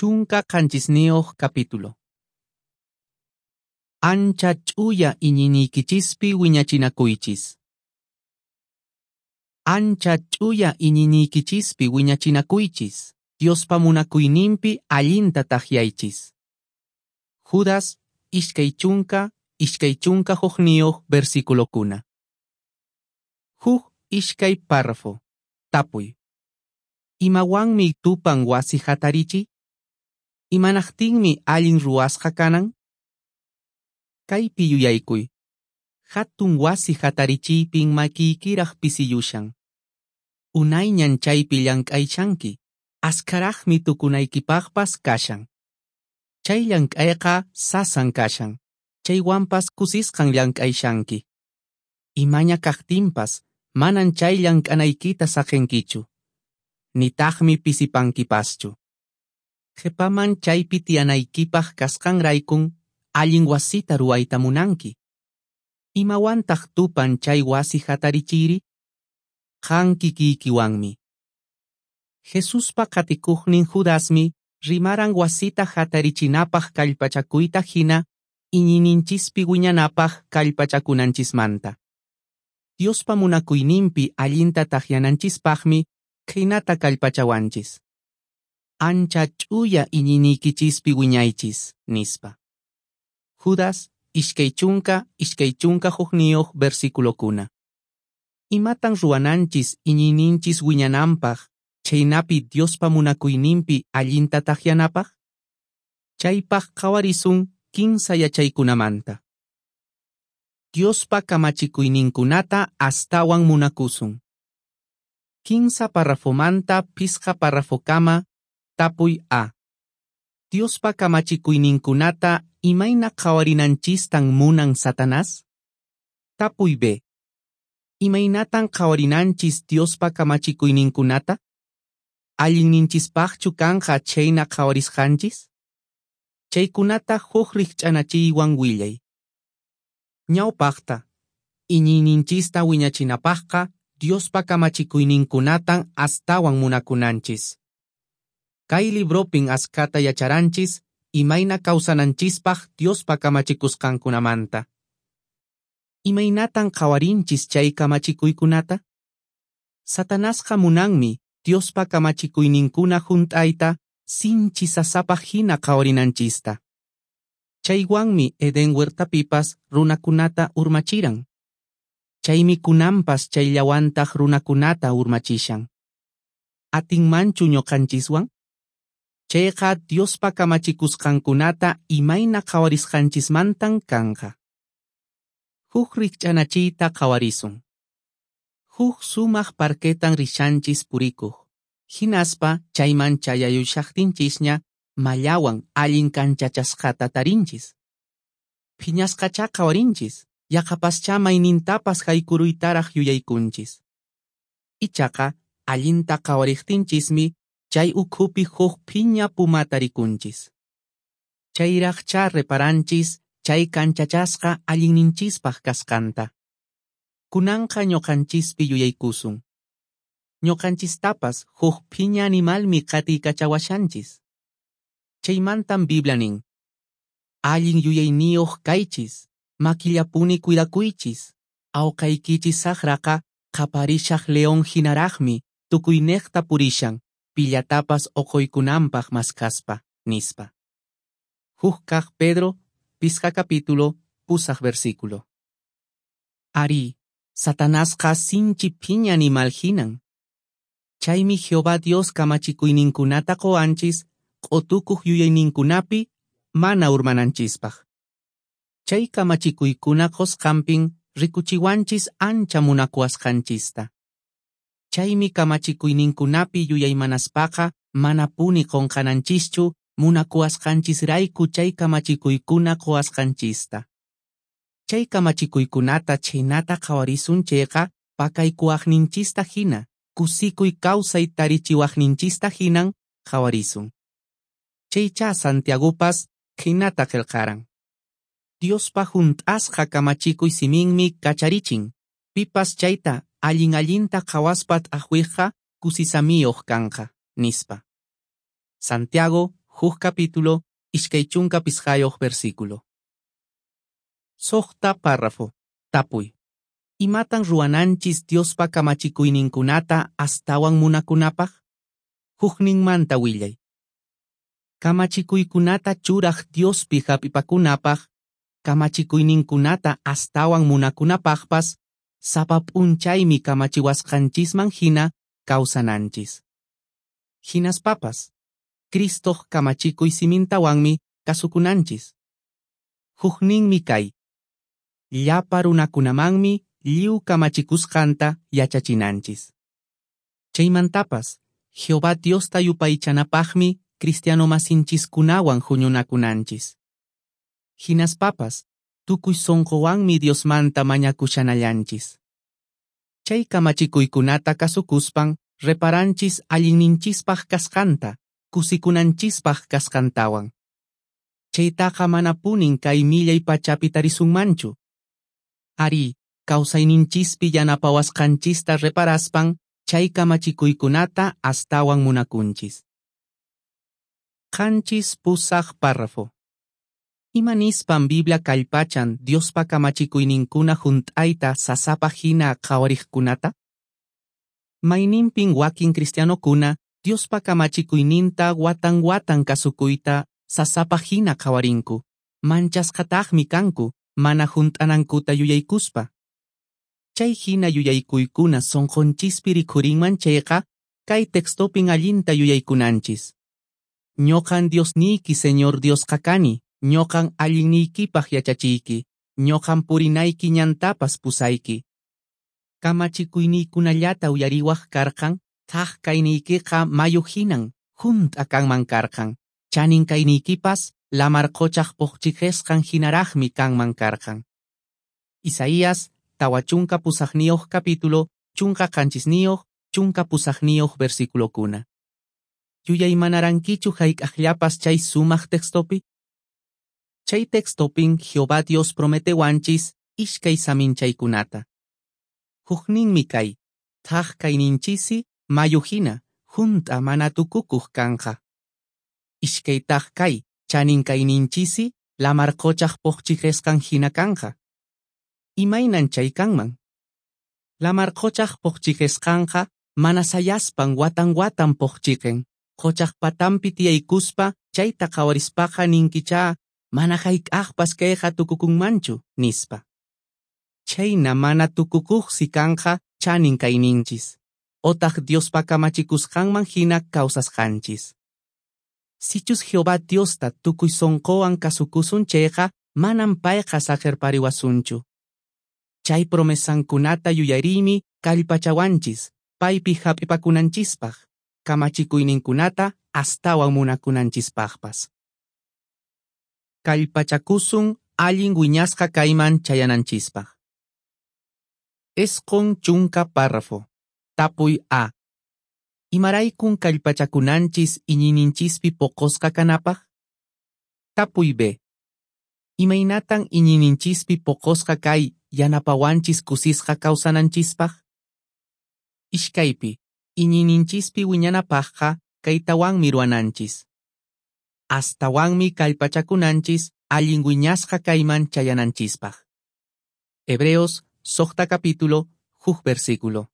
17 capítulo. Ancha ch'uya iñiyniykichispi wiñachinakuychis. Ancha ch'uya iñiyniykichispi wiñachinakuychis, Diospa munakuyninpi allinta takyaychis. Judas 20 21 versículokuna. Huk iskay párrafo. Tapuy. Imawanmi tupan wasi hatarichiy? Imanaqtinmi allin ruwasqa kanan? Kaypi yuyaykuy. Hatun wasi hatarichiypin makiykiraq pisiyushan. Unayñan chaypi llank'ayshanki, askharaqmi tukunaykipaqpas kashan. Chay llank'ayqa sasan kashan, chaywanpas kusisqan llank'ayshanki. Imaña kaqtinpas, manan chay llank'anaykita saqenkichu. Nitaqmi pisipankipaschu. Qhipaman chaypi tiyanaykipaq kasqanraykun allin wasita ruwayta munanki. Imawantaq tupan chay wasi hatarichiyri? Qan kikiykiwanmi. Jesuspa qatikuqnin Judasmi rimaran wasita hatarichinapaq kallpachakuyta hina iñiyninchispi wiñanapaq kallpachakunanchismanta. Diospa munakuyninpi allinta takyananchispaqmi khaynata kallpachawanchis. Ancha ch'uya iñiyniykichispi wiñaychis, nispa. Judas 20 21 versículokuna. Imatan ruwananchis iñiyninchis wiñananpaq, chhaynapi Diospa munakuyninpi allinta takyanapaq? Chaypaq qhawarisun 15 yachaykunamanta. Diospa kamachikuyninkunata astawan munakusun. 15 párrafomanta 5 párrafokama, tapuy A. Diospa kamachikuyninkunata imayna qhawarinanchistan munan Satanás? Tapuy B. Imaynatan qhawarinanchis Diospa kamachikuyninkunata? Allinninchispaqchu kanqa chhayna qhawarisqanchis? Chaykunata huk rikch'anachiywan willay. Ñawpaqta, iñiyninchista wiñachinapaqqa Diospa kamachikuyninkunatan astawan munakunanchis. Kay libropin askhata yacharanchis imayna kawsananchispaq Diospa kamachikusqankunamanta. Imaynatan qhawarinchis chay kamachikuykunata? Satanasqa munanmi Diospa kamachikuyninkuna hunt'ayta sinchi sasapaq hina qhawarinanchista. Chaywanmi Edén huertapipas runakunata urmachiran. Chaymi kunanpas chayllawantaq runakunata urmachishan. Atinmanchu ñuqanchiswan? Chayqa Diospa kamachikusqankunata imayna qhawarisqanchismantan kanqa. Huk rikch'anachiyta qhawarisun. Huk sumaq parquetan rishanchis purikuq. Hinaspa chayman chayayushaqtinchisña mallawan allin kanchachasqata tarinchis. Phiñasqachá qhawarinchis, yaqapaschá maynintapas haykuruytaraq yuyaykunchis. Ichaqa allinta qhawariqtinchismi chay ukhupi huk phiña pumata rikunchis. Chayraqchá reparanchis chay kanchachasqa allinninchispaq kasqanta. Kunanqa ñuqanchispi yuyaykusun. Ñuqanchistapas huk phiña animalmi qatiykachawashanchis. Chaymantan Biblia nin: Allin yuyayniyuq kaychis, makillapuni cuidakuychis, awqaykichis saqraqa qaparishaq león hinaraqmi tukuyniqta purishan, pillatapas uquykunanpaq maskaspa, nispa. Huk kaq Pedro, 5 capítulo, 8 versículo. Ari, Satanasqa sinchi phiña animal hinan. Chaymi Jehová Dios kamachikuyninkunata qowanchis q'utukuq yuyayninkunapi mana urmananchispaq. Chay kamachikuykuna qusqanpin rikuchiwanchis ancha munakuwasqanchista. Chaymi kamachikuyninkunapi yuyaymanaspaqa manapuni qunqananchischu munakuwasqanchisrayku chay kamachikuykuna quwasqanchista. Chay kamachikuykunata chhaynata qhawarisun chayqa pakaykuwaqninchista hina, kusikuy kawsay tarichiwaqninchista hinan qhawarisun. Chaychá Santiagopas khaynata qillqaran. Diospa hunt'asqa kamachikuy siminmi kacharichin, pipas chayta allin allinta qhawaspa t'aqwiqqa kusisamiyuq kanqa, nispa. Santiago Huk capítulo, 25 versículo. 6 párrafo. Tapuy. Imatan ruwananchis Diospa kamachikuyninkunata astawan munakunapaq? Hukninmanta willay. Kamachikuykunata churaq Diospi hap'ipakunapaq, kamachikuyninkunata astawan munakunapaqpas, sapa p'unchaymi kamachiwasqanchisman hina kawsananchis. Hinaspapas, Cristoq kamachikuy simintawanmi kasukunanchis. Hukninmi kay. Llapa runakunamanmi lliw kamachikusqanta yachachinanchis. Chaymantapas, Jehová Diosta yupaychanapaqmi cristiano masinchiskunawan huñunakunanchis. Hinaspapas, tukuy sonqowanmi Diosmanta mañakushanallanchis. Chay kamachikuykunata kasukuspan reparanchis allinninchispaq kasqanta, kusikunanchispaq kasqantawan. Chaytaqa manapunin kay millay pachapi tarisunmanchu. Ari, kawsayninchispi yanapawasqanchista reparaspan, chay kamachikuykunata astawan munakunchis. 7 8 párrafo. Ima nispan Biblia kallpachan Diospa kamachikuyninkuna hunt'ayta sasapaq hina qhawariqkunata? Mayninpin wakin cristianokuna Diospa kamachikuyninta watan watan kasukuyta sasapaq hina qhawarinku, manchasqataqmi kanku mana hunt'anankuta yuyaykuspa. Chay hina yuyaykuykuna sonqonchispi rikhurinman chayqa, kay textopin allinta yuyaykunanchis. Ñoqan Diosniyki Señor Diosqa kani, ñoqan allinniykipaq yachachiyki, ñoqan purinayki ñantapas pusayki. Kamachikuyniykunallata uyariwaq karqan, thak kayniykiqa mayu hinan, hunt'a kanman karqan, chanin kayniykipas lamar qochaq phoqchiqesqan hinaraqmi kanman karqan. Isaías 48 capítulo, 17 18 versículokuna. Yuyaymanarankichu hayk'aqllapas chay sumaq textopi? Chay textopin Jehová Dios prometewanchis iskay saminchaykunata. Hukninmi kay, thak kayninchisi mayu hina, hunt'a mana tukukuq kanqa. Iskaytaq kay, chanin kayninchisi lamar qochaq phoqchiqesqan hina kanqa. Imaynan chay kanman? Lamar qochaq phoqchiqesqanqa mana sayaspan watan watan phoqchiqen. Qochaq patanpi tiyaykuspa chayta qhawarispaqa ninkichá mana hayk'aqpas kayqa tukukunmanchu, nispa. Chhayna mana tukukuqsi kanqa chanin kayninchis, otaq Diospa kamachikusqanman hina kawsasqanchis. Sichus Jehová Diosta tukuy sonqowan kasukusun chayqa, manan payqa saqerpariwasunchu. Chay promesankunata yuyariymi kallpachawanchis, paypi hap'ipakunanchispaq, kamachikuyninkunata astawan munakunanchispaqpas. Kallpachakusun allin wiñasqa kayman chayananchispaq. 90 párrafo. Tapuy A. Imaraykun kallpachakunanchis iñiyninchispi poqosqa kanapaq? Tapuy B. Imaynatan iñiyninchispi poqosqa kay yanapawanchis kusisqa kawsananchispaq? Iskaypi, iñiyninchispi wiñanapaqqa kaytawanmi ruwananchis. Astawanmi kallpachakunanchis allin wiñasqa kayman chayananchispaq. Hebreos 6 capítulo, 1 versículo.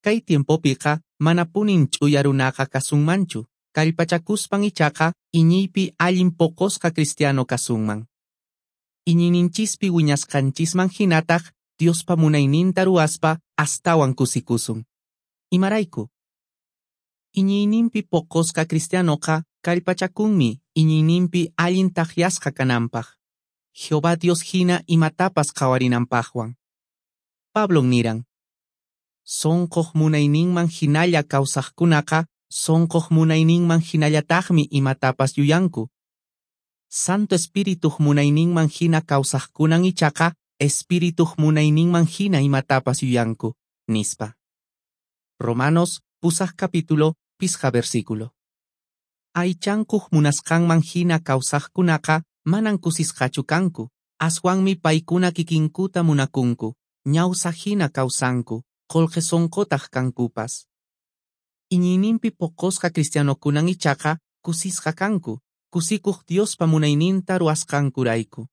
Kay tiempopiqa manapunin ch'uya runaqa kasunmanchu, kallpachakuspan ichaqa iñiypi allin poqosqa cristiano kasunman. Iñiyninchispi wiñasqanchisman hinataq Diospa munayninta ruwaspa astawan kusikusun. Imarayku? Iñiyninpi poqosqa cristianoqa kallpachakunmi iñiyninpi allin takyasqa kananpaq. Jehová Dios hina imatapas qhawarinanpaqwan. Pablon niran: Sonqoq munayninman hinalla kawsaqkunaqa sonqoq munayninman hinallataqmi imatapas yuyanku. Santo Espirituq munayninman hina kawsaqkunan ichaqa Espirituq munayninman hina imatapas yuyanku, nispa. Romanos 8 capítulo, 5 versículo. Aychankuq munasqanman hina kawsaqkunaqa manan kusisqachu kanku, aswanmi paykuna kikinkuta munakunku, ñawsa hina kawsanku, qullqi sunqutaq kankupas. Iñiyninpi poqosqa cristianokunan ichaqa kusisqa kanku, kusikuq Diospa munayninta ruwasqankurayku.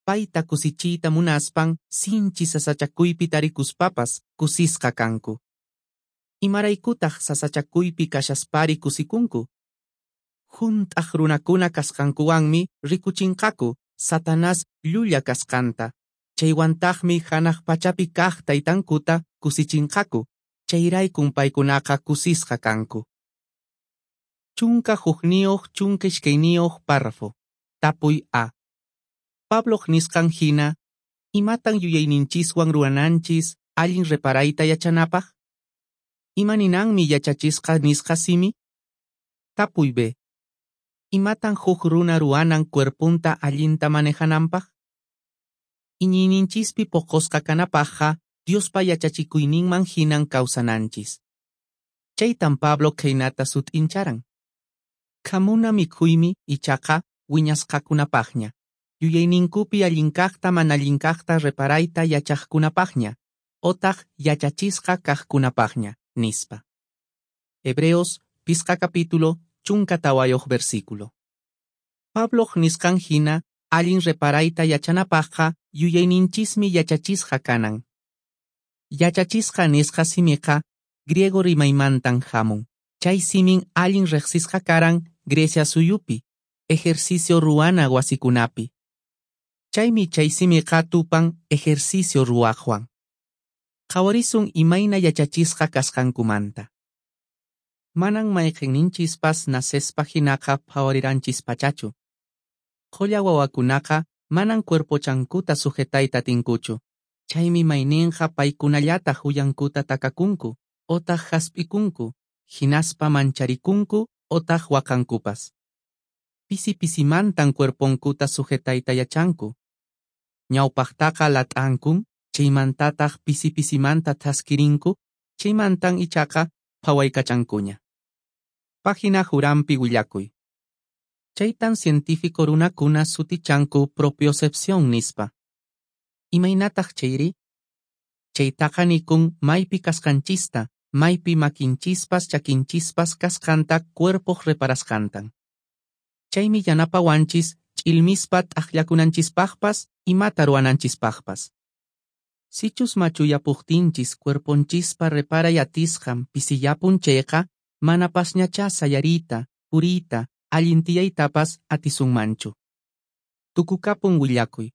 Payta kusichiyta munaspan sinchi sasachakuypi tarikuspapas kusisqa kanku. Imaraykutaq sasachakuypi kashaspari kusikunku? Hunt'aq runakuna kasqankuwanmi rikuchinqaku Satanás llulla kasqanta, chaywantaqmi hanaq pachapi kaq taytankuta kusichinqaku, chayraykun paykunaqa kusisqa kanku. 11 12 párrafo. Tapuy A. Pabloq nisqan hina, imatan yuyayninchiswan ruwananchis allin reparayta yachanapaq? Ima ninanmi yachachisqa nisqa simi? Tapuy B. Imatan huk runa ruwanan cuerponta allinta manejananpaq? Iñiyninchispi poqosqa kanapaqqa Diospa yachachikuyninman hinan kawsananchis. Chaytan Pablo khaynata sut'incharan. Khamuna mikhuymi ichaqa wiñasqakunapaqña, yuyayninkupi allinkaqta mana allinkaqta reparayta yachaqkunapaqña, otaq yachachisqa kaqkunapaqña, nispa. Hebreos, 5 capítulo, 14 versículo. Pabloq nisqan hina, allin reparayta yachanapaqqa yuyayninchismi yachachisqa kanan. Yachachisqa nisqa simiqa griego rimaymantan hamun. Chay simin allin riqsisqa karan Grecia suyupi, ejercicio ruwana wasikunapi. Chaymi chay simiqa tupan ejercicio ruwaqwan. Qhawarisun imayna yachachisqa kasqankumanta. Manan mayqinninchispas nacespa hinaqa phawariranchis-pachachu. Qholla wawakunaqa manan cuerpochankuta sujetayta atinkuchu. Chaymi mayninqa paykunallataq uyankuta takakunku, otaq hasp'ikunku, hinaspa mancharikunku otaq waqankupas. Pisi pisimantan cuerponkuta sujetayta yachanku. Ñawpaqtaqa lat'ankun, chaymantataq pisi pisimanta thaskirinku, chaymantan ichaqa phawaykachankuña. Página Jurampi willakuy. Chaytan científico runakuna sutichanku propiocepción nispa. Imaynataq chayri? Chaytaqa nikun maypi kasqanchista, maypi makinchispas chakinchispas kasqanta cuerpoq reparasqantan. Chaymi yanapawanchis ch'ilmispa t'aqllakunanchispaqpas imata ruwananchispaqpas. Sichus machuyapuqtinchis cuerponchispa reparay atisqan pisiyapun chayqa, manapasñachá sayariyta, puriyta, allin tiyaytapas atisunmanchu. Tukukapun willakuy.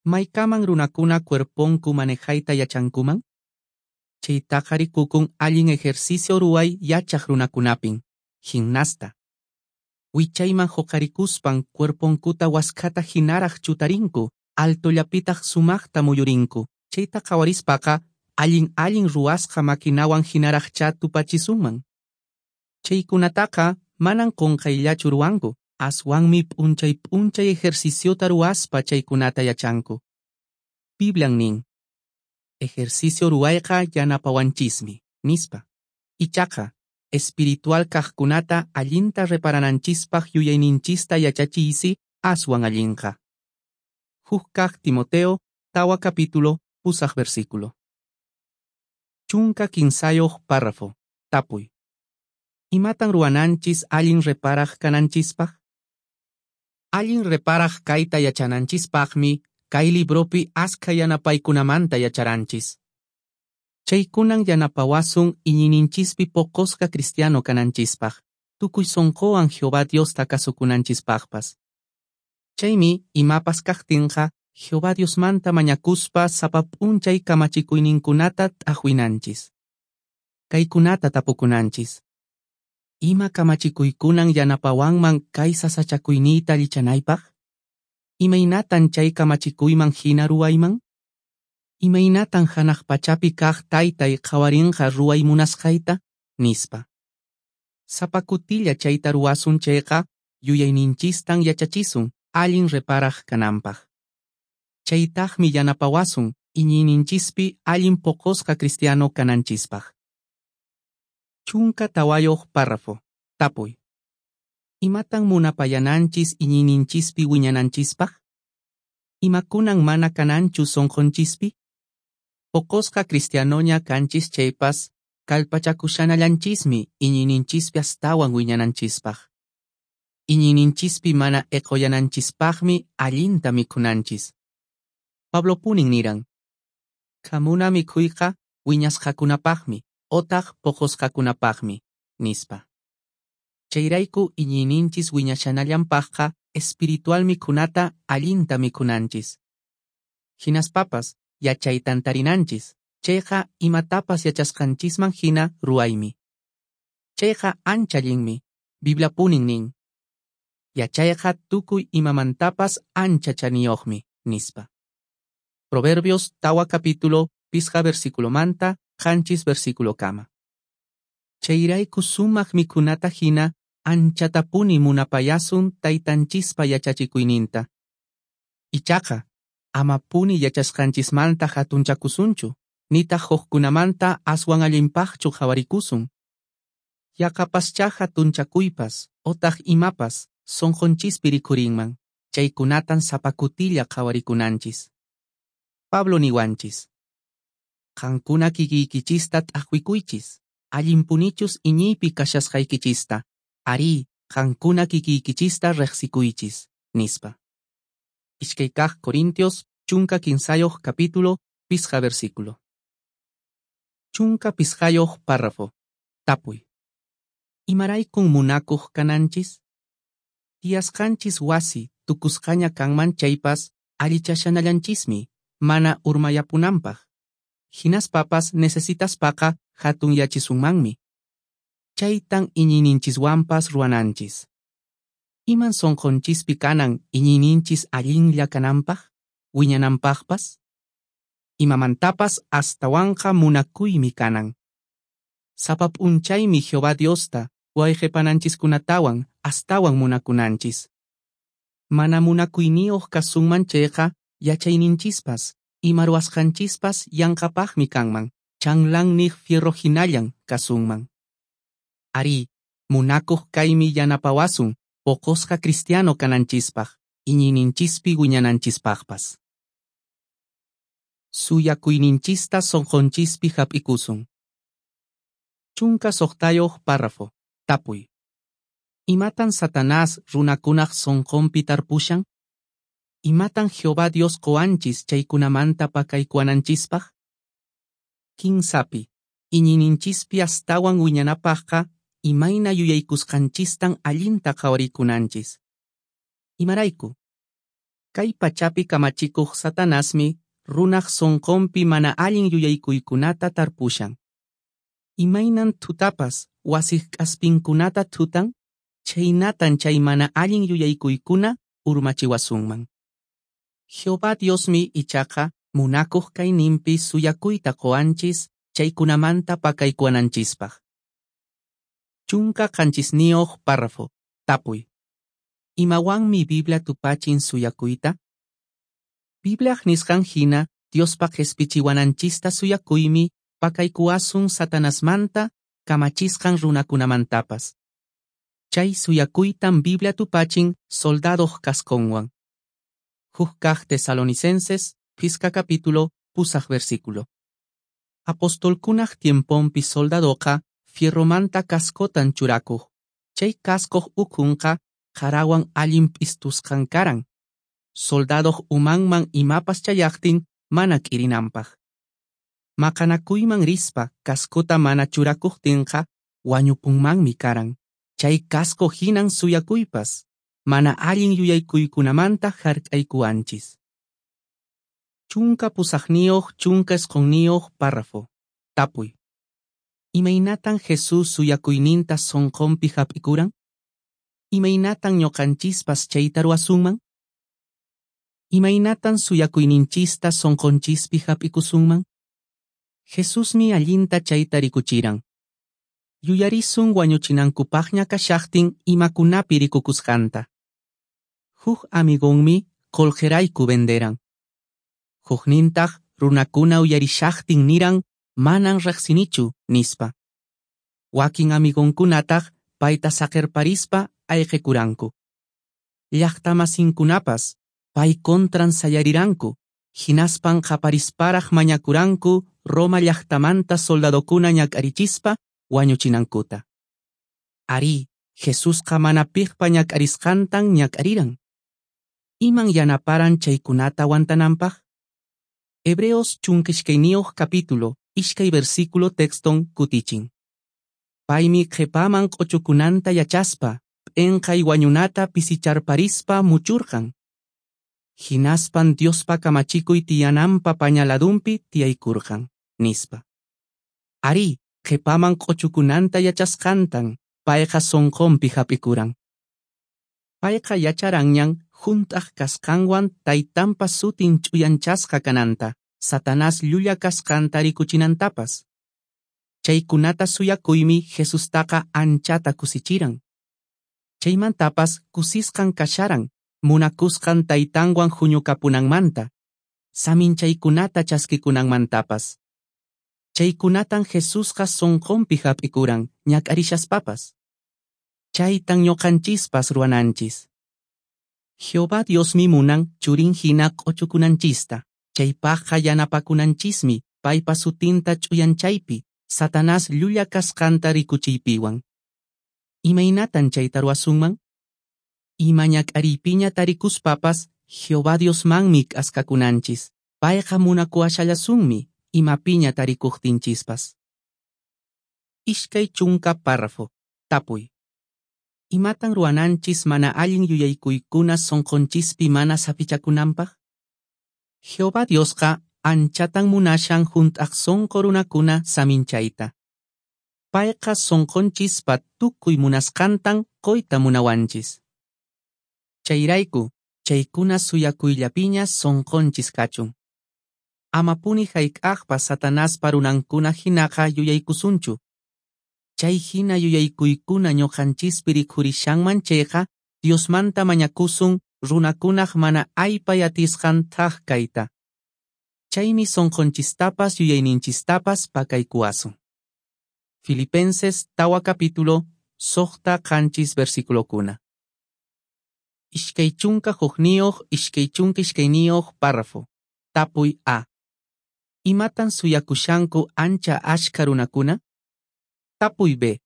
Maykaman runakuna cuerponku manejayta yachankuman? Chaytaqa rikukun allin ejercicio ruway yachaq runakunapin, gimnasta. Wichayman huqarikuspan cuerponkuta waskhata hinaraq chutarinku, altollapitaq sumaqta muyurinku. Chayta qhawarispaqa allin allin ruwasqa maquinawan hinaraqchá tupachisunman. Chaykunataqa manan qunqayllachu ruwanku, aswanmi p'unchay p'unchay ejerciciota ruwaspa chaykunata yachanku. Biblian nin, ejercicio ruwayqa yanapawanchismi, nispa. Ichaqa, espiritual kaqkunata allinta reparananchispaq yuyayninchista yachachiysi aswan allinqa. Huk kaq Timoteo, 4 capítulo, 8 versículo. 13 párrafo. Tapuy. Imatan ruwananchis allin reparaq kananchispaq? Allin reparaq kayta yachananchispaqmi kay libropi askha yanapaykunamanta yacharanchis. Chaykunan yanapawasun iñiyninchispi poqosqa cristiano kananchispaq, tukuy sonqowan Jehová Diosta kasukunanchispaqpas. Chaymi imapas kaqtinqa Jehová Diosmanta mañakuspa sapa p'unchay kamachikuyninkunata t'aqwinanchis. Kaykunata tapukunanchis. Ima kamachikuykunan yanapawanman kay sasachakuyniyta allichanaypaq? Imaynatan chay kamachikuyman hina ruwayman? Imaynatan hanaq pachapi kaq taytay qhawarinqa ruway munasqayta? Nispa. Sapa kutilla chayta ruwasun chayqa yuyayninchistan yachachisun allin reparaq kananpaq. Chaytaqmi yanapawasun iñiyninchispi allin poqosqa cristiano kananchispaq. 14 párrafo. Tapuy. Imatan munapayananchis iñiyninchispi wiñananchispaq? Imakunan mana kananchu sonqonchispi? Poqosqa cristianoña kanchis chaypas, kallpachakushanallanchismi iñiyninchispi astawan wiñananchispaq. Iñiyninchispi mana eqoyananchispaqmi allinta mikhunanchis. Pablopunin niran: "Khamuna mikhuyqa wiñasqakunapaqmi otaq poqosqakunapaqmi", nispa. Chayrayku iñiyninchis wiñashanallanpaqqa espiritual mikhunata allinta mikhunanchis. Hinaspapas yachaytan tarinanchis, chayqa imatapas yachasqanchisman hina ruwaymi. Chayqa ancha allinmi, Bibliapunin nin: "Yachayqa tukuy imamantapas ancha chaniyoqmi", nispa. Proverbios 4 capítulo, 5 versículomanta, 7 versículokama. Chayrayku sumaq mikhunata hina anchatapuni munapayasun taytanchispa yachachikuyninta. Ichaqa, amapuni yachasqanchismanta hatunchakusunchu, nitaq hukkunamanta aswan allinpaqchu qhawarikusun. Yaqapaschá hatunchakuypas otaq imapas sonqonchispi rikhurinman, chaykunatan sapa kutilla qhawarikunanchis. Pablo niwanchis: "Qankuna kikiykichista t'aqwikuychis, allinpunichus iñiypi kashasqaykichista, arí, qankuna kikiykichista riqsikuychis", nispa. 2 Corintios 13 capítulo, 5 versículo. 15 párrafo. Tapuy. Imaraykun munakuq kananchis? Tiyasqanchis wasi tukusqaña kanman chaypas allichashanallanchismi mana urmayapunanpaq. Hinaspapas necesitaspaqa hatunyachisunmanmi. Chaytan iñiyninchiswanpas ruwananchis. Iman sonqonchispi kanan iñiyninchis allinlla kananpaq, wiñananpaqpas? Imamantapas astawanqa munakuymi kanan. Sapa p'unchaymi Jehová Diosta wayqepananchiskunatawan astawan munakunanchis. Mana munakuyniyuq kasunman chayqa yachayninchispas, ima ruwasqanchispas yanqapaqmi kanman, chanlanniq fierro hinallan kasunman. Arí, munakuq kaymi yanapawasun poqosqa cristiano kananchispaq, iñiyninchispi wiñananchispaqpas. Suyakuyninchista sonqonchispi hap'ikusun. 16 párrafo. Tapuy. Imatan Satanás runakunaq sonqonpi tarpushan? Imatan Jehová Dios qowanchis chaykunamanta pakaykuwananchispaq? 15. Iñiyninchispi astawan wiñanapaqqa imayna yuyaykusqanchistan allinta qhawarikunanchis. Imarayku? Kay pachapi kamachikuq Satanasmi runaq sonqonpi mana allin yuyaykuykunata tarpushan. Imaynan thutapas wasiq k'aspinkunata thutan, chhaynatan chay mana allin yuyaykuykuna urmachiwasunman. Jehová Diosmi ichaqa munakuq kayninpi suyakuyta qowanchis chaykunamanta pakaykuwananchispaq. 17 párrafo. Tapuy. Imawanmi Biblia tupachin suyakuyta? Bibliaq nisqan hina Diospa qhispichiwananchista suyakuymi pakaykuwasun Satanasmanta kamachisqan runakunamantapas. Chay suyakuytan Biblia tupachin soldadoq casconwan. 1 Tesalonicenses, 5 capítulo, 8 versículo. Apostolkunaq tiemponpi soldadoqa fierromanta cascotan churakuq. Chay cascoq ukhunqa qarawan allin p'istusqan karan. Soldadoq umanman imapas chayaqtin mana k'irinanpaq. Maqanakuyman rispa cascota mana churakuqtinqa wañupunmanmi karan. Chay casco hinan suyakuypas, mana allin yuyaykuykunamanta hark'aykuwanchis. 18 19 párrafo. Tapuy. Imaynatan Jesús suyakuyninta sonqonpi hap'ikuran? Imaynatan ñuqanchispas chayta ruwasunman? Imaynatan suyakuyninchista sonqonchispi hap'ikusunman? Jesusmi allinta chayta rikuchiran. Yuyarisun wañuchinankupaqña kashaqtin imakunapi rikukusqanta. Huk amigonmi qolqerayku venderan. Huknintaq runakuna uyarishaqtin niran manan riqsinichu nispa. Wakin amigonkunataq payta saqerparispa ayqikuranku. Llaqtamasinkunapas pay contran sayariranku, hinaspan qaparisparaq mañakuranku Roma llaqtamanta soldadokuna ñak'arichispa wañuchinankuta. Arí, Jesusqa mana piqpa ñak'arisqantan ñak'ariran. Iman yanaparan chaykunata aguantananpaq? Hebreos 12 capítulo, 2 versículo texton kutichin. Paymi qhipaman q'uchukunanta yachaspa, p'inqay wañunata pisicharparispa muchurqan. Hinaspan Diospa kamachikuy tiyananpa pañaladunpi tiyaykurqan, nispa. Arí, qhipaman q'uchukunanta yachasqantan payqa sonqonpi hap'ikuran. Payqa yacharanñan hunt'aq kasqanwan taytanpa sutin ch'uyanchasqa kananta, Satanás llulla kasqanta rikuchinantapas. Chaykunata suyakuymi Jesustaqa anchata kusichiran. Chaymantapas kusisqan kasharan, munakusqan taytanwan huñukapunanmanta, saminchaykunata chaskikunanmantapas. Chaykunatan Jesusqa sonqonpi hap'ikuran ñak'arishaspapas. Chaytan ñuqanchispas ruwananchis. Jehová Diosmi munan churin hina q'uchukunanchista, chaypaqqa yanapakunanchismi paypa sutinta ch'uyanchaypi, Satanás llulla kasqanta rikuchiypiwan. Imaynatan chayta ruwasunman? Ima ñak'ariypiña tarikuspapas Jehová Diosmanmi k'askakunanchis, payqa munakuwashallasunmi imapiña tarikuqtinchispas. 20 párrafo. Tapuy. Imatan ruwananchis mana allin yuyaykuykuna sonqonchispi mana saphichakunanpaq? Jehová Diosqa anchatan munashan hunt'aq sonqo runakuna saminchayta. Payqa sonqonchispa tukuy munasqantan qoyta munawanchis. Chayrayku, chaykuna suyakuyllapiña sonqonchis kachun. Amapuni hayk'aqpas Satanaspa runankuna hinaqa yuyaykusunchu. Chay hina yuyaykuykuna ñuqanchispi rikhurishanman chayqa, Diosmanta mañakusun runakunaq mana aypay atisqan thak kayta. Chaymi sonqonchistapas yuyayninchistapas pakaykuwasun. Filipenses 4 capítulo, 6-7 versículokuna. 21 22 párrafo. Tapuy A. Imatan suyakushanku ancha ashka runakuna? Tapuy B.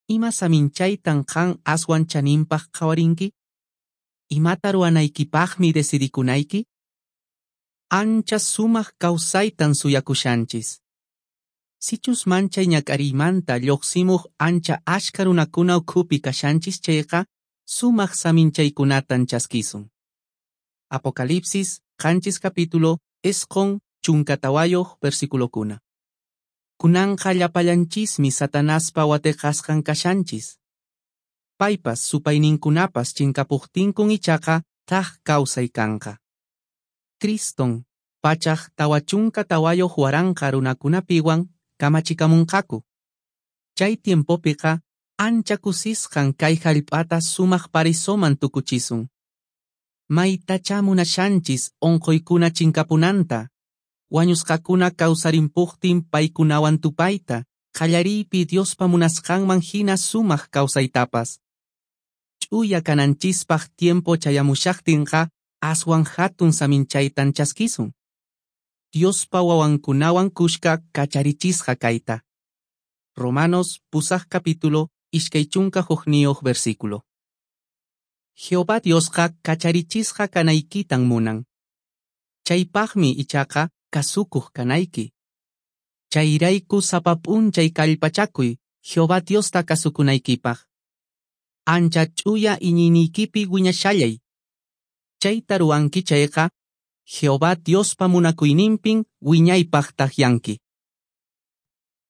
Ima saminchaytan qan aswan chaninpaq qhawarinki? Imata ruwanaykipaqmi decidikunayki? Ancha sumaq kawsaytan suyakushanchis. Sichus manchay ñak'ariymanta lluqsimuq ancha ashka runakuna ukhupi kashanchis chayqa, sumaq saminchaykunatan chaskisun. Apocalipsis 7 capítulo 94 versículokuna. Kunanqa llapallanchismi Satanaspa wateqasqan kashanchis. Paypas supayninkunapas chinkapuqtinkun ichaqa thak kawsay kanqa. Criston 444,000 runakunapiwan kamachikamunqaku. Chay tiempopiqa ancha kusisqan kay hallp'ata sumaq paraisoman tukuchisun. Maytachá munashanchis unquykuna chinkapunanta, wañusqakuna kawsarimpuqtin paykunawan tupayta, qallariypi Diospa munasqanman hina sumaq kawsaytapas. Ch'uya kananchispaq tiempo chayamushaqtinqa aswan hatun saminchaytan chaskisun. Diospa wawankunawan kushka kacharichisqa kayta. Romanos 8 capítulo 21 versículo. Jehová Diosqa kacharichisqa kanaykitan munan. Chaypaqmi ichaqa kasukuq kanayki. Chayrayku sapa p'unchay kallpachakuy Jehová Diosta kasukunaykipaq. Ancha ch'uya iñiyniykipi wiñashallay. Chayta ruwanki chayqa, Jehová Diospa munakuyninpin wiñaypaq takyanki.